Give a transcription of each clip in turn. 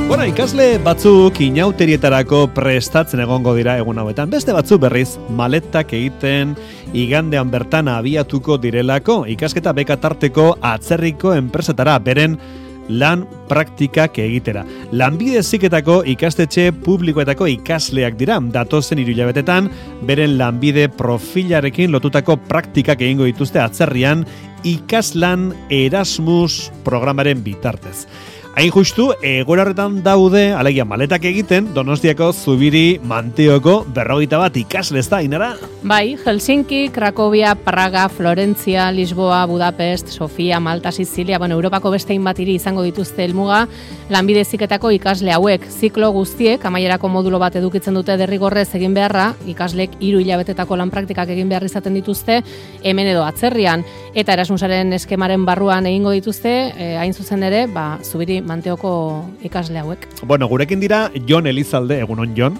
Bueno, ikasle batzuk inauterietarako prestatzen egongo dira egun hauetan. Beste batzuk berriz maletak egiten igandean bertan abiatuko direlako. Ikasketa beka tarteko atzerriko enpresetara beren lan praktikak egitera. Lanbide heziketako ikastetxe publikoetako ikasleak dira. Datozen 3 hilabetetan beren lanbide profilarekin lotutako praktikak egingo dituzte atzerrian ikaslan Erasmus programaren bitartez. Hain justu, egoera horretan daude, alegia maletak egiten, Donostiako Zubiri Manteoko 51 ikasle ez da, Ainara? Bai, Helsinki, Cracovia, Praga, Florentzia, Lisboa, Budapest, Sofia, Malta, Sizilia, Europako beste hainbat hiri izango dituzte helmuga, lanbide heziketako ikasle hauek, ziklo guztiek, amaierako modulo bat edukitzen dute derrigorrez egin beharra, ikaslek 3 hilabetetako lan praktikak egin behar izaten dituzte, hemen edo atzerrian, eta Erasmusaren eskemaren barruan egingo dituzte, hain zuzen ere, Zubiri Manteoko ikasle hauek. Bueno, gurekin dira Jon Elizalde, egunon Jon.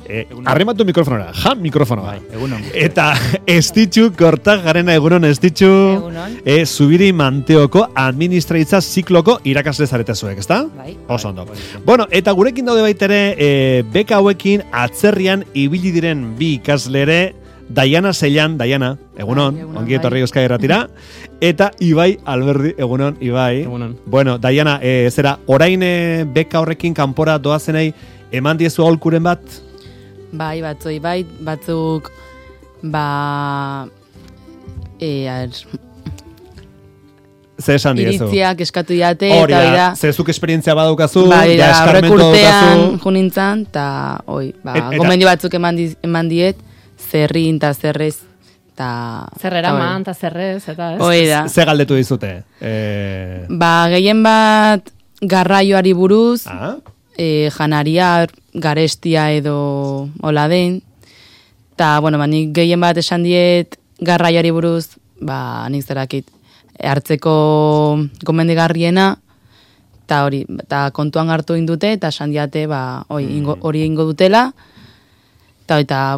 Egunon. Arrimatu mikrofonora, mikrofonoa. Bai, egunon. Eta Estitxu Kortajarena, egunon Estitxu. Egunon. Zubiri Manteoko administraitza zikloko irakasle zarete zuek, ezta? Bai. Oso ondo. Bueno, eta gurekin daude baitere beka hauekin atzerrian ibili diren 2 ikasle ere, Daiana Zellan, Daiana, egunon, ongi etorri Euskadi Irratira, eta Ibai Alberdi, egunon, Ibai. Egunon. Bueno, Daiana, zera, orain beka horrekin kanpora doazenei eman diezu aholkuren bat? Bai, batzuk, Ze esan diezu? iritziak eskatu diate, Hori eta da, zezuk esperientzia badaukazu, bai, ja eskarmentu aurrekurtean daukazu. junintzan, eta Eta- gomendio batzuk eman diet, zerrin eta zerrez, eta... Zer eraman, eta zerrez, eta ez? Hoi da. Ze galdetu dizute? Gehien bat garraioari buruz, Ah? janaria, garestia edo hola den, eta, nik gehien bat esan diet garraioari buruz, nik zerakit, hartzeko gomendigarriena, eta hori, eta kontuan hartu indute, eta esan diate, hori ingo dutela, eta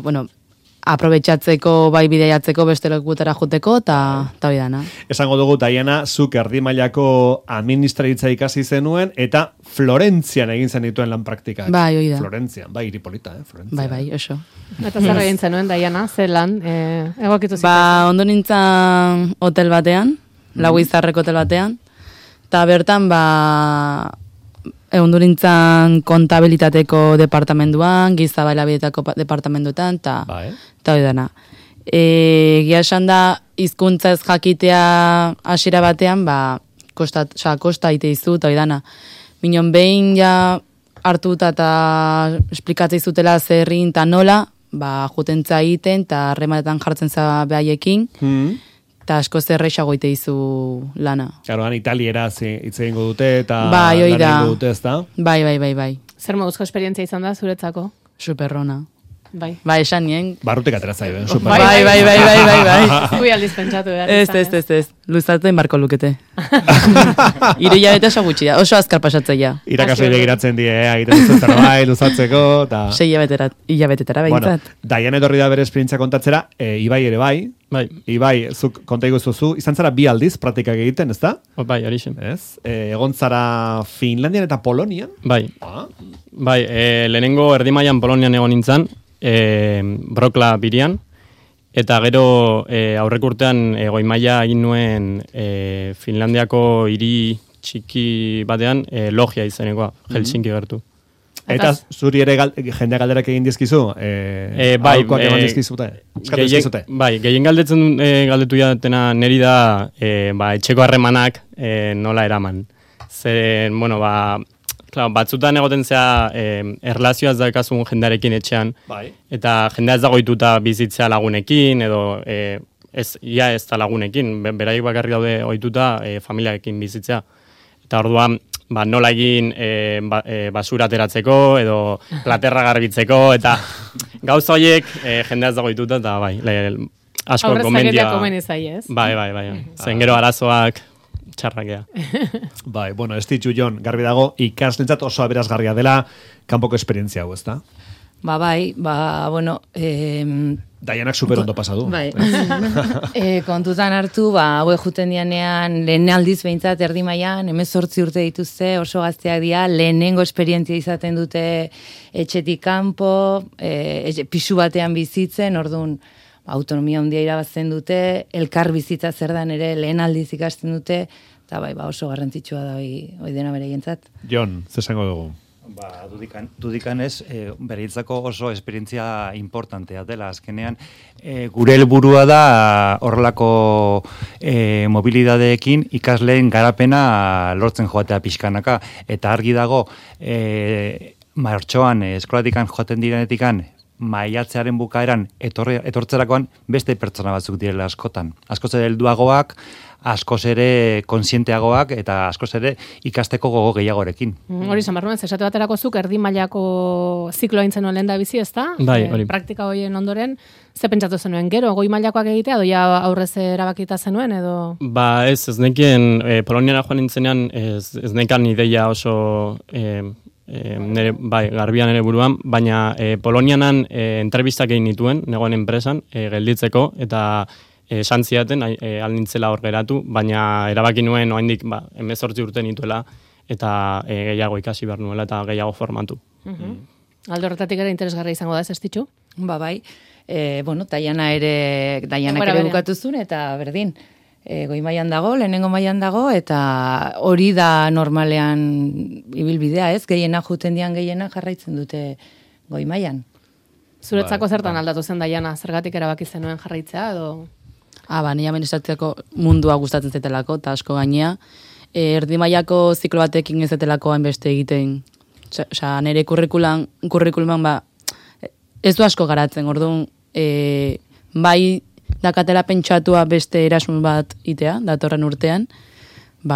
aprobetxatzeko, bideiatzeko beste lekutara joteko, eta hori dana. Esango dugu, Daiana, zuk erdi mailako administraritza ikasi zenuen, eta Florentzian egin zen dituen lan praktikak. Bai, hori da. Florentzian, bai, hiri polita, Florentzia. Bai, oso. Eta zer egin zenuen, Daiana, ze lan, egokitu zituen? Ondo nintzen hotel batean, Lau Izarreko hotel batean, eta bertan, ondo nintzen kontabilitateko departamenduan, giza bailabietako departamenduetan, eta hori dana. Egia esan da, hizkuntza ez jakitea hasiera batean, kosta ite izu, eta hori dana. Minon behin ja hartuta eta esplikatzei zutela zerrin eta nola, jutentza egiten, eta harremanetan jartzen za behaiekin, eta asko zerreixago ite izu lana. Claro, italiera hitz egingo dute, eta lan egingo dute, ez da? Bai. Zer moduzko esperientzia izan da, zuretzako? Superrona. Bai. Esan nien. Barrutik ateratzai, super. Bai. Ui aldiz pentsatu behar. Ez. Luzatzen barko lukete. 3 hilabete oso gutxi da, oso azkar pasatzea. Irakasle begiratzen die, egiten duzu zerbait, luzatzeko, eta... 6 hilabetetara behintzat. Bueno, Daiana etorri da bere esperientzia kontatzera, Ibai ere bai. Bai. Ibai, zuk konta iguzuzu, izan zara 2 aldiz praktikak egiten, ez da? Bai, hori zen. Ez? Egon zara Finlandian eta Polonian? Bai. Lehenengo erdimailan Polonian egon nintzen, Brokla birian, eta gero aurrek urtean goi-maila egin nuen Finlandiako hiri txiki batean Logia izenekoa, Helsinki gertu. Eta zuri ere jendea galderak egin dizkizu? Aholkuak eman dizkizute? Gehien galdetu jatena neri da etxeko harremanak nola eraman. Zeren, batzutan egoten zea erlazioaz daukazun jendearekin etxean, eta jendea ez dagoituta bizitzea lagunekin, edo ez da lagunekin, beraik bakarrik daude ohituta familiarekin bizitzea. Eta orduan, nola egin basura ateratzeko, edo platerra garbitzeko, eta gauza horiek jendea ez dagoituta, eta asko gomendia... Aurrez komeni zai, ez? Bai. Zen gero arazoak txarrakea. Bai, ez ditxu Jon, garbi dago, ikaslentzat oso aberazgarria dela kanpoko esperientzia hau, ez da? Daianak super ondo pasadu. Bai. Kontutan hartu, hauek juten dianean, lehen aldiz behintzat erdi mailan, 18 urte dituzte, oso gazteak dira, lehenengo esperientzia izaten dute etxetik kanpo, pisu batean bizitzen, orduan autonomia handia irabazten dute, elkar bizitza zer dan ere lehen aldiz ikasten dute, eta oso garrantzitsua da hoi dena bereientzat. Jon, zesango dugu? Dudikan ez, bereitzako oso esperientzia importantea dela, azkenean, gure helburua da horrelako mobilidadeekin ikasleen garapena lortzen joatea pixkanaka, eta argi dago, martxoan eskolatikan joaten direnetikan, maiatzearen bukaeran etortzerakoan beste pertsona batzuk direla askotan. Askoz ere helduagoak, askoz ere konsienteagoak eta askoz ere ikasteko gogo gehiagorekin. Hori Samarruen, esate baterako zuk erdi mailako zikloa intzen lehen da bizi, ezta? Bai, hori. Praktika horien ondoren, ze pentsatu zenuen gero, goi mailakoak egitea, doia aurrez erabakita zenuen, edo? Ez nekien, Poloniara joan nintzenean, ez nekan ideia oso... nere, garbian ere buruan, baina Polonianan entrevistak egin nituen, negoen enpresan, gelditzeko, eta esan ziaten, alnintzela hor geratu, baina erabaki nuen, oraindik 18 urte nituela, eta gehiago ikasi behar nuela, eta gehiago formatu. Alde horretatik ere interesgarria izango da, ez estitxu? Bai, Daianak ere bukatuzun, eta berdin, goi mailan dago, lehenengo mailan dago, eta hori da normalean ibilbidea, ez? Gehienak juten dian gehienak jarraitzen dute goi mailan. Zuretzako zertan aldatu zen Daiana, zergatik erabaki zenuen jarraitzea, edo... Nire administratziako mundua gustatzen zetelako, eta asko gainea. Erdi mailako ziklo batekin ez zetelako hainbeste egiten. Nire kurrikuluman ez du asko garatzen, orduan, bai dakatela pentsatua beste erasun bat itea, datorren urtean,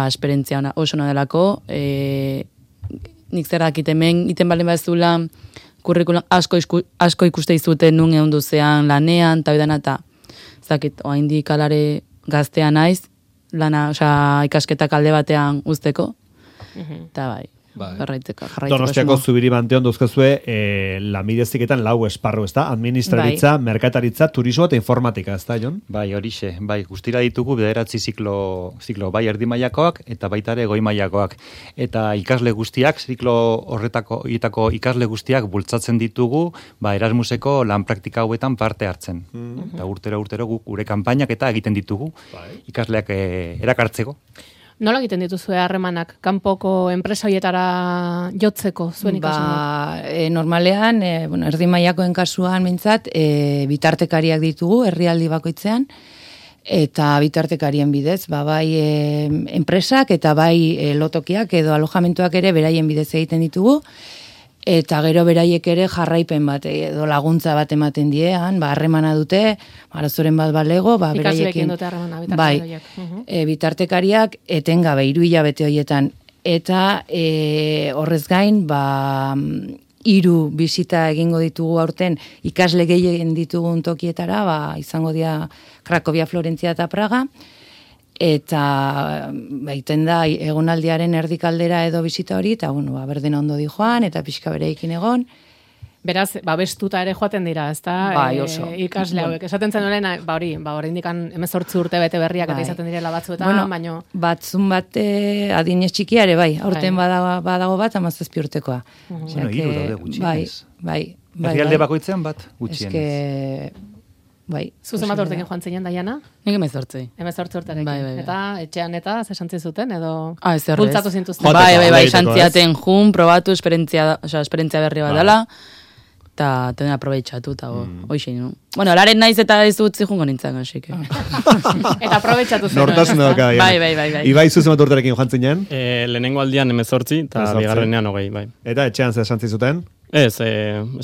esperientzia oso ona delako, nik zer dakit hemen, iten balen bazula, kurrikulan asko ikuste izuten nun egon duzean lanean, eta bidana, eta zakit, oaindik alare gaztea naiz, lana, ikasketak alde batean uzteko, eta jarraitzeko. Donostiako Zubiri Banteon duzkezue, lanbide-heziketan 4 esparru, ezta? Administraritza, merkataritza, turismo eta informatika, ezta, Jon? Bai, horixe, guztira ditugu 9 ziklo, bai erdi mailakoak eta baita ere goi mailakoak. Eta ikasle guztiak, ziklo horretako ikasle guztiak bultzatzen ditugu, Erasmuseko lan praktika hauetan parte hartzen. Eta urtero gure kanpainak eta egiten ditugu, ikasleak erakartzeko. Nola egiten dituzue harremanak, kanpoko enpresa horietara jotzeko zuen ikasunak? Normalean, erdi mailakoen kasuan mintzat, bitartekariak ditugu, herrialdi bakoitzean, eta bitartekarien bidez, bai enpresak eta bai lotokiak edo alojamentuak ere beraien bidez egiten ditugu, eta gero beraiek ere jarraipen bat edo laguntza bat ematen diean, harremana dute, arazoren bat balego, ikasleekin dute harremana, bitartekariak. Bitartekariak etengabe 3 hilabete horietan, eta horrez gain, 3 bisita egingo ditugu aurten ikasle gehien ditugun tokietara, izango dira Krakovia, Florentzia eta Praga, eta baiten da egonaldiaren erdikaldera edo bisita hori, eta berden ondo di joan, eta pixka bereikin egon. Beraz, bestuta ere joaten dira, ezta? Oso. Ikasle hauek. Esaten zen horren, hori indikan 18 urte bete berriak eta izaten direla batzuetan, baino... Batzun bat adinez txikiare, aurten badago bat, 17 urtekoa. Bueno, 3 daude gutxienez. Bai. Herrialde bakoitzean bat gutxienez. Zuzen bat urtekin joan zinen, Daiana? Nik 18. 18 urterekin. Eta etxean eta zesantzi zuten, edo bultzatu zintuzten? Bai, santziaten jun, probatu, esperientzia berri bat dela, eta tenen aprobetxatu, eta hoxin, no? Bueno, laren naiz eta ez utzi jungo nintzen, asik. Eta aprobetxatu zen. Nortasun edoka. Bai. Ibai zuzen bat urterekin joan zinen? Lehenengo aldian 18, eta bigarrenean 20, bai. Eta etxean zesantzi zuten? Ez,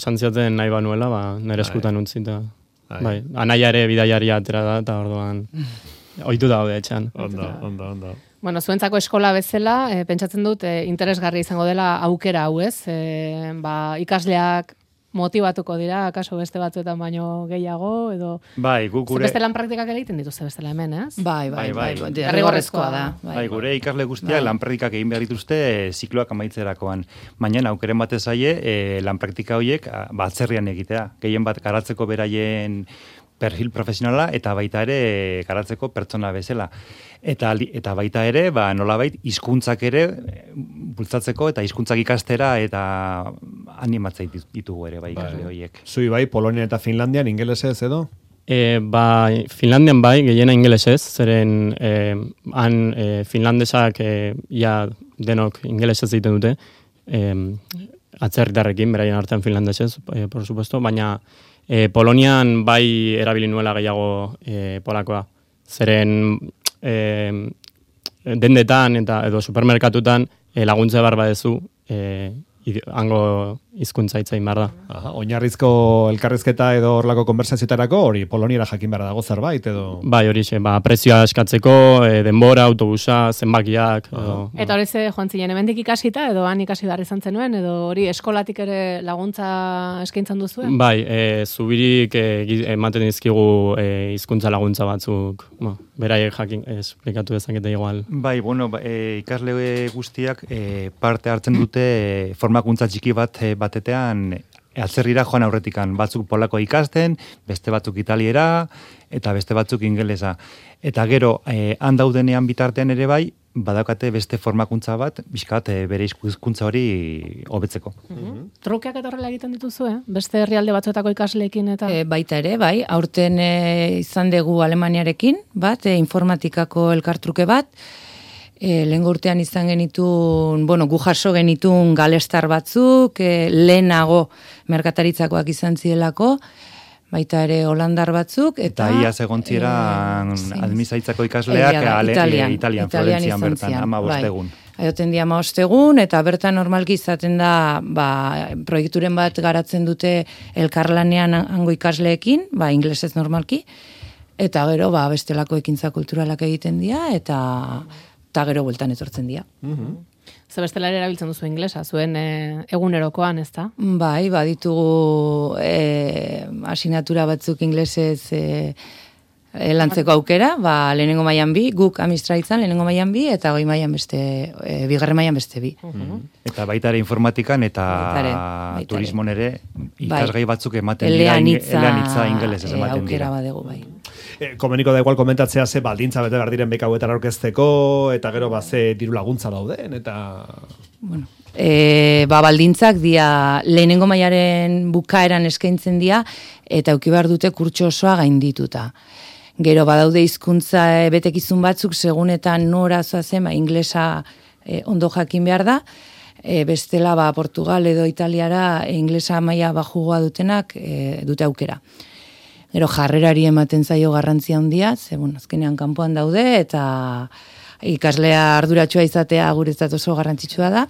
santziaten nahi banuela, nire eskutan utzi, eta... Bai, anaia ere bidaiaria atera da, eta orduan ohitu daude etxan. Ondo. Bueno, zuentzako eskola bezala, pentsatzen dut, interesgarri izango dela aukera hau, ez? Ikasleak motibatuko dira, akaso beste batzuetan baino gehiago, edo... Bai, gure... Beste lan praktikak egiten dituzte bestela hemen, ez? Bai. Derrigorrezkoa da. Bai, gure ikasle guztiak lan praktikak egin behar dituzte zikloak amaitzerakoan. Baina aukeren batez zaie, lan praktika horiek atzerrian egitea. Gehien bat garatzeko beraien perfil profesionala eta baita ere garatzeko pertsona bezala. Eta baita ere, nolabait hizkuntzak ere bultzatzeko eta hizkuntzak ikastera eta animatzea ditugu ere ikasle horiek. Zui bai, Polonia eta Finlandian ingelesez edo? Finlandian bai, gehiena ingelesez, zeren finlandesak ia denok ingelesez egiten dute, atzerritarrekin, beraien artean finlandesez, por supuesto, baina Polonian bai erabili nuela gehiago polakoa. Zeren dendetan edo supermerkatutan laguntza behar badezu hango hizkuntza hitz egin behar da. Aha, oinarrizko elkarrizketa edo horlako konversazioetarako hori poloniera jakin behar dago zerbait edo... Bai, horixe, prezioa eskatzeko, denbora, autobusa, zenbakiak... Eta hori ze joan zinen, hemendik ikasita edo han ikasi behar izan zenuen, edo hori eskolatik ere laguntza eskaintzen duzuen? Bai, zubirik ematen dizkigu hizkuntza laguntza batzuk, beraiek jakin esplikatu dezakete igual. Bai, ikasle guztiak parte hartzen dute formakuntza txiki batetean atzerrira joan aurretikan. Batzuk polako ikasten, beste batzuk italiera, eta beste batzuk ingelesa. Eta gero, han daudenean bitartean ere bai, badaukate beste formakuntza bat, bizkat bere hizkuntza hori hobetzeko. Trukeak eta horrela egiten dituzu, beste herrialde batzuetako ikasleekin eta... Baita ere, bai, aurten izan dugu Alemaniarekin, bat, informatikako elkartruke bat, lehengo urtean izan genitun, gu jaso genitun galestar batzuk, lehenago merkataritzakoak izan zielako, baita ere holandar batzuk, eta ia segontzieran administraitzako ikasleak Italian, Florentzian bertan, 15 egun. Aioten di 15 egun, eta bertan normalki izaten da, proiekturen bat garatzen dute elkarlanean hango ikasleekin, inglesez normalki, eta gero, bestelako ekintza kulturalak egiten dira, eta gero bueltan etortzen dira. Ze bestela ere erabiltzen duzu inglesa, zuen egunerokoan, ez da? Bai, ditugu asignatura batzuk inglesez lantzeko aukera, lehenengo mailan 2, guk administraitzan lehenengo mailan 2, eta goi mailan bigarren mailan beste 2. Eta baita ere informatikan eta turismon ere ikasgai batzuk ematen dira eleanitza ingelesez ematen dira. Aukera badegu, bai. Komeniko da igual komentatzea ze baldintza bete behar diren beka hauetan aurkezteko, eta gero ze diru laguntza dauden, eta... Bueno, baldintzak dia lehenengo mailaren bukaeran eskaintzen dira, eta eduki behar dute kurtso osoa gaindituta. Gero badaude hizkuntza betekizun batzuk, segunetan nora zoazen, inglesa ondo jakin behar da, bestela Portugal edo Italiara inglesa maila bajugoa dutenak dute aukera. Gero jarrerari ematen zaio garrantzia handia, ze azkenean kanpoan daude, eta ikaslea arduratsua izatea guretzat oso garrantzitsua da.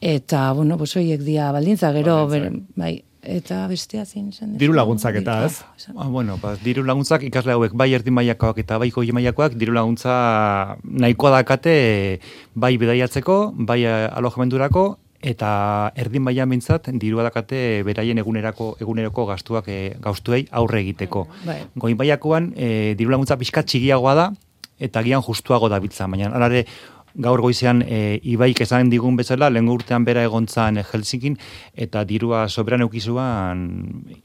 Eta, horiek dia baldintza, gero, bai, eta bestea zein esan. Diru laguntzak eta, ez? Diru laguntzak ikasle hauek bai erdi mailakoak eta bai goi mailakoak diru laguntza nahikoa dakate bai bidaiatzeko, bai alojamendurako, eta erdin mailan bintzat dirua dakate beraien eguneroko gastuei aurre egiteko. Goi mailakoan diru laguntza pixka txigiagoa da, eta gian justuago da bitza, baina alare gaur goizean Ibaik esan digun bezala, lehengo urtean bera egontzan Helsinkin, eta dirua soberan eukizuan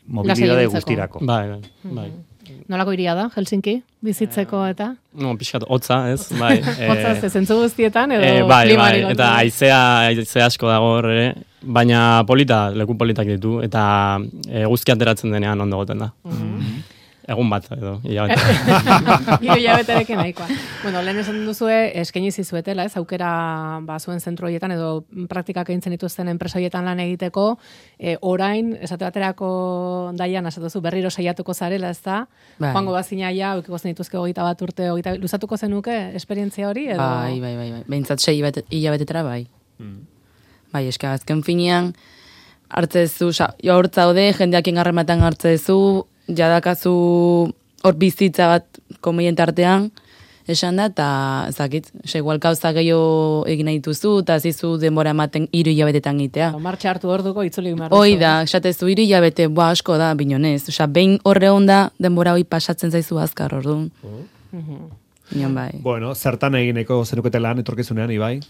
mobilidade guztirako. Bai. Nolako iria da, Helsinki, bizitzeko eta? No, pixkat, hotza, ez? Bai. Hotza, zentzu guztietan, edo klimari? Bai, eta haizea asko dago ere, baina leku politak ditu, eta guzki ateratzen denean ondo goten da. Egun bat, edo, hilabete. Hilabeterekin nahikoa. Lehen esan duzue, eskaini zizuetela, ez, aukera zuen zentro horietan, edo praktikak egintzen dituzten enpresa horietan lan egiteko, orain, esate baterako daian, esatuzu, berriro saiatuko zarela, ez da? Joango bazina ja, eukiko zen dituzke 21 urte, luzatuko zenuke esperientzia hori, edo? Bai. Behintzat 6 hilabetetara, bai. Bai, eska, azken finean, hartzezu, hortzaude, jendeak ingarrematan hartzezu, jadakazu hor bizitza bat komiente artean, esan da, eta zakit, igual kauza gehiago egin nahi dituzu, eta zizu denbora ematen 3 hilabetetan gitea. Martxa hartu orduko itzuli behar. Hoi da, esatezu 3 hilabete, asko da, binonez. Osea, behin horre onda, denbora hoi pasatzen zaizu azkar, orduan. Nion bai. Bueno, zertan egineko zenukete lan etorkizunean, Ibai?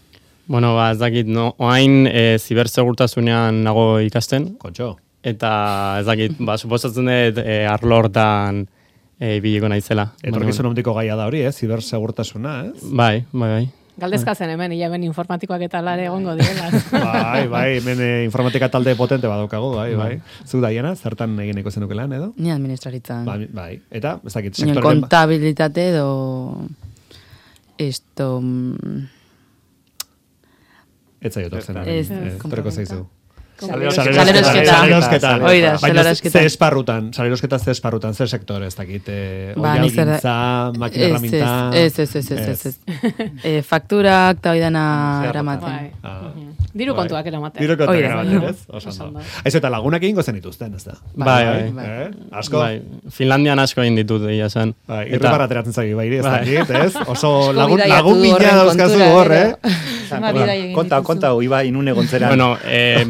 Bueno, ba, ez dakit, no, oain zibersegurtasunean nago ikasten. Kontxo. Eta ez dakit, ba, suposatzen dut arlo hortan ibiliko naizela. Etorkizun ondiko gaia da hori, zibersegurtasuna, ez? Bai. Galdezkazen hemen, hemen informatikoak eta lare egongo direla. Bai, hemen informatika talde potente badaukagu, bai. Zu Daiana, zertan egineko zenuke lan, edo? Ni administraritzan. Bai, eta, ez dakit, sektoren... kontabilitate edo... Esto... Ez zaiot orzen. Toreko zaizu. Salerosketa. Oida, salerosketa. Ze esparrutan, ze sektor, ez dakit. Oialgintza, makina herramienta. Ez. Fakturak, eta oidana eramaten. Diru kontuak eramaten. Diru kontuak eramaten, ez? Osando. Aizu, eta lagunak egingo zen ituzten, ez da? Bai. Asko? Finlandian asko egin ditut, egia zen. Irribarra ateratzen zagi, ez dakit, ez? Oso lagun bila dauzkazu hor, Konta, Ibai, inun egontzeran. Bueno,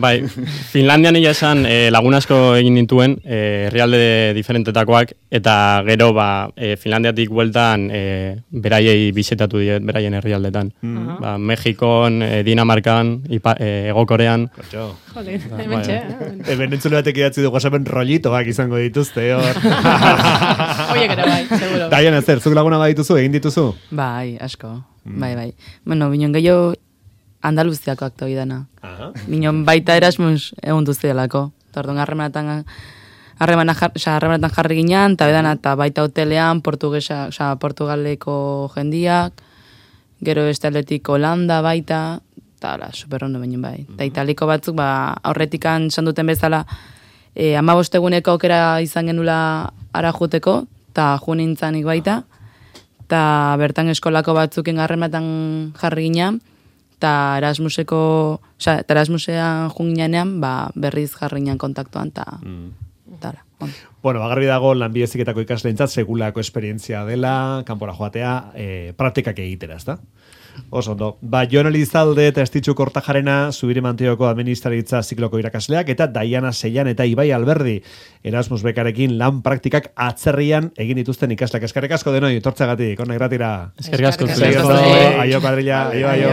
bai, Finlandian egia esan lagun asko egin dituen, herrialde diferentetakoak, eta gero, Finlandiatik bueltan beraiei bisetatu diet, beraien herrialdetan. Mexikon, Dinamarkan, Ego Korean. Jolín, hemen txe. Hemen entzule batek idatzi dugu asapen rollitoak izango dituzte, hor. Oiek ere bai, seguro. Daian, zer, zuk laguna badituzu, egin dituzu? Bai, asko. Bai. Bueno, binon gehiago Andaluziako akto idana. Binon baita Erasmus egun duzielako. Tordon harremanetan jarri ginean, eta baita hotelean, Portugaleko jendiak, gero estaletik Holanda baita, eta super ondo baino bai. Eta italiko batzuk, aurretikan esan duten bezala, 15 eguneko aukera izan genula ara juteko, eta junintzanik baita, eta bertan eskolako batzukin harremanetan jarri ginean, eta Erasmusean junginean, berriz jarri ginean kontaktuan, eta Bueno, agarri dago lanbide heziketako ikasleentzat segulako esperientzia dela, kanpora joatea, praktikak egitera, ezta? Oso ondo. Jon Elizalde eta Estitxu Kortajarena, Zubiri Mantioko administraritza zikloko irakasleak, eta Daiana Seian eta Ibai Alberdi Erasmus bekarekin lan praktikak atzerrian egin dituzten ikasleak. Eskerrik asko denoi, etortzeagatik, hona irratira. Eskerrik asko. Aio, kadrilla, aio.